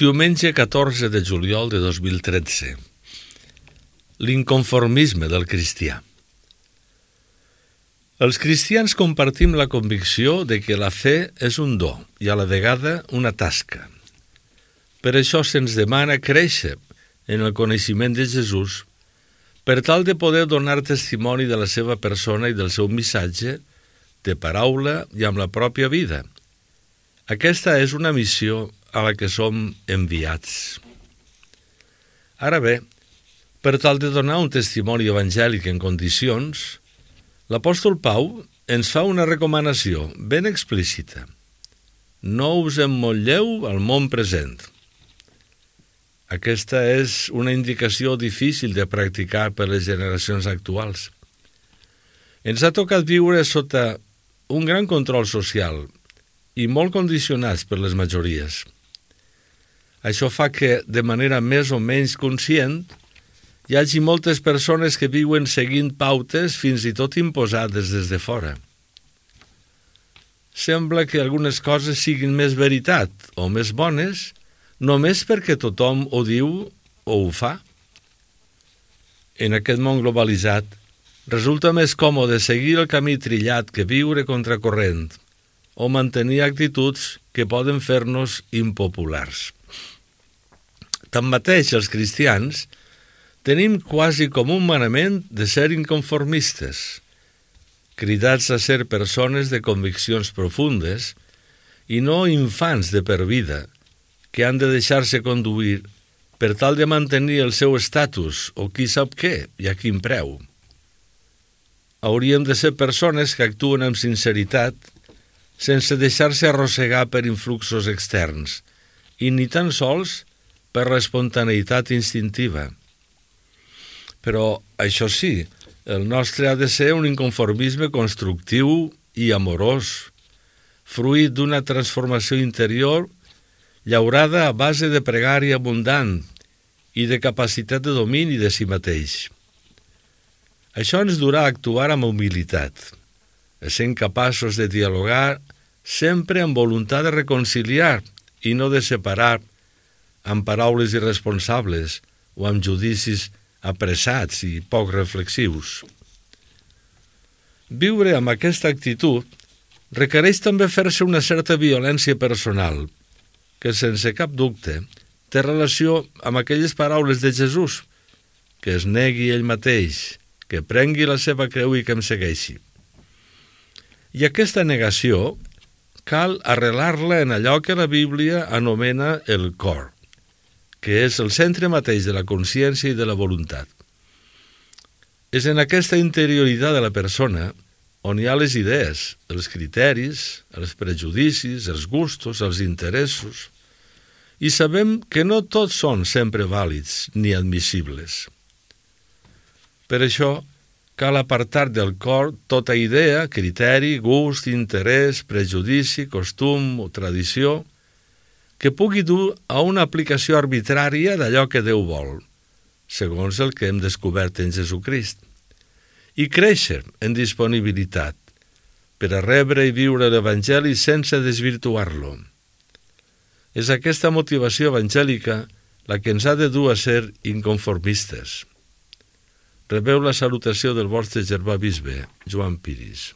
Diumenge 14 de juliol de 2013. L'inconformisme del cristià. Els cristians compartim la convicció de que la fe és un do i a la vegada una tasca. Per això se'ns demana créixer en el coneixement de Jesús per tal de poder donar testimoni de la seva persona i del seu missatge de paraula i amb la pròpia vida. Aquesta és una missió a la que som enviats. Ara bé, per tal de donar un testimoni evangèlic en condicions, l'apòstol Pau ens fa una recomanació ben explícita. No us emmotlleu al món present. Aquesta és una indicació difícil de practicar per les generacions actuals. Ens ha tocat viure sota un gran control social i molt condicionats per les majories. Això fa que, de manera més o menys conscient, hi hagi moltes persones que viuen seguint pautes fins i tot imposades des de fora. Sembla que algunes coses siguin més veritat o més bones només perquè tothom ho diu o ho fa. En aquest món globalitzat, resulta més còmode seguir el camí trillat que viure contracorrent o mantenir actituds que poden fer-nos impopulars. Tanmateix, els cristians tenim quasi com un manament de ser inconformistes, cridats a ser persones de conviccions profundes i no infants de per vida que han de deixar-se conduir per tal de mantenir el seu estatus o qui sap què i a quin preu. Hauríem de ser persones que actuen amb sinceritat sense deixar-se arrossegar per influxos externs i ni tan sols per l'espontaneïtat instintiva. Però, això sí, el nostre ha de ser un inconformisme constructiu i amorós, fruit d'una transformació interior llaurada a base de pregària abundant i de capacitat de domini de si mateix. Això ens durà a actuar amb humilitat, essent capaços de dialogar sempre amb voluntat de reconciliar i no de separar amb paraules irresponsables o amb judicis apressats i poc reflexius. Viure amb aquesta actitud requereix també fer-se una certa violència personal, que sense cap dubte té relació amb aquelles paraules de Jesús, que es negui ell mateix, que prengui la seva creu i que em segueixi. I aquesta negació cal arrelar-la en allò que la Bíblia anomena el cor, que és el centre mateix de la consciència i de la voluntat. És en aquesta interioritat de la persona on hi ha les idees, els criteris, els prejudicis, els gustos, els interessos, i sabem que no tots són sempre vàlids ni admissibles. Per això, cal apartar del cor tota idea, criteri, gust, interès, prejudici, costum o tradició que pugui dur a una aplicació arbitrària d'allò que Déu vol, segons el que hem descobert en Jesucrist, i créixer en disponibilitat per a rebre i viure l'Evangeli sense desvirtuar-lo. És aquesta motivació evangèlica la que ens ha de dur a ser inconformistes. Rebeu la salutació del vostre germà bisbe, Joan Piris.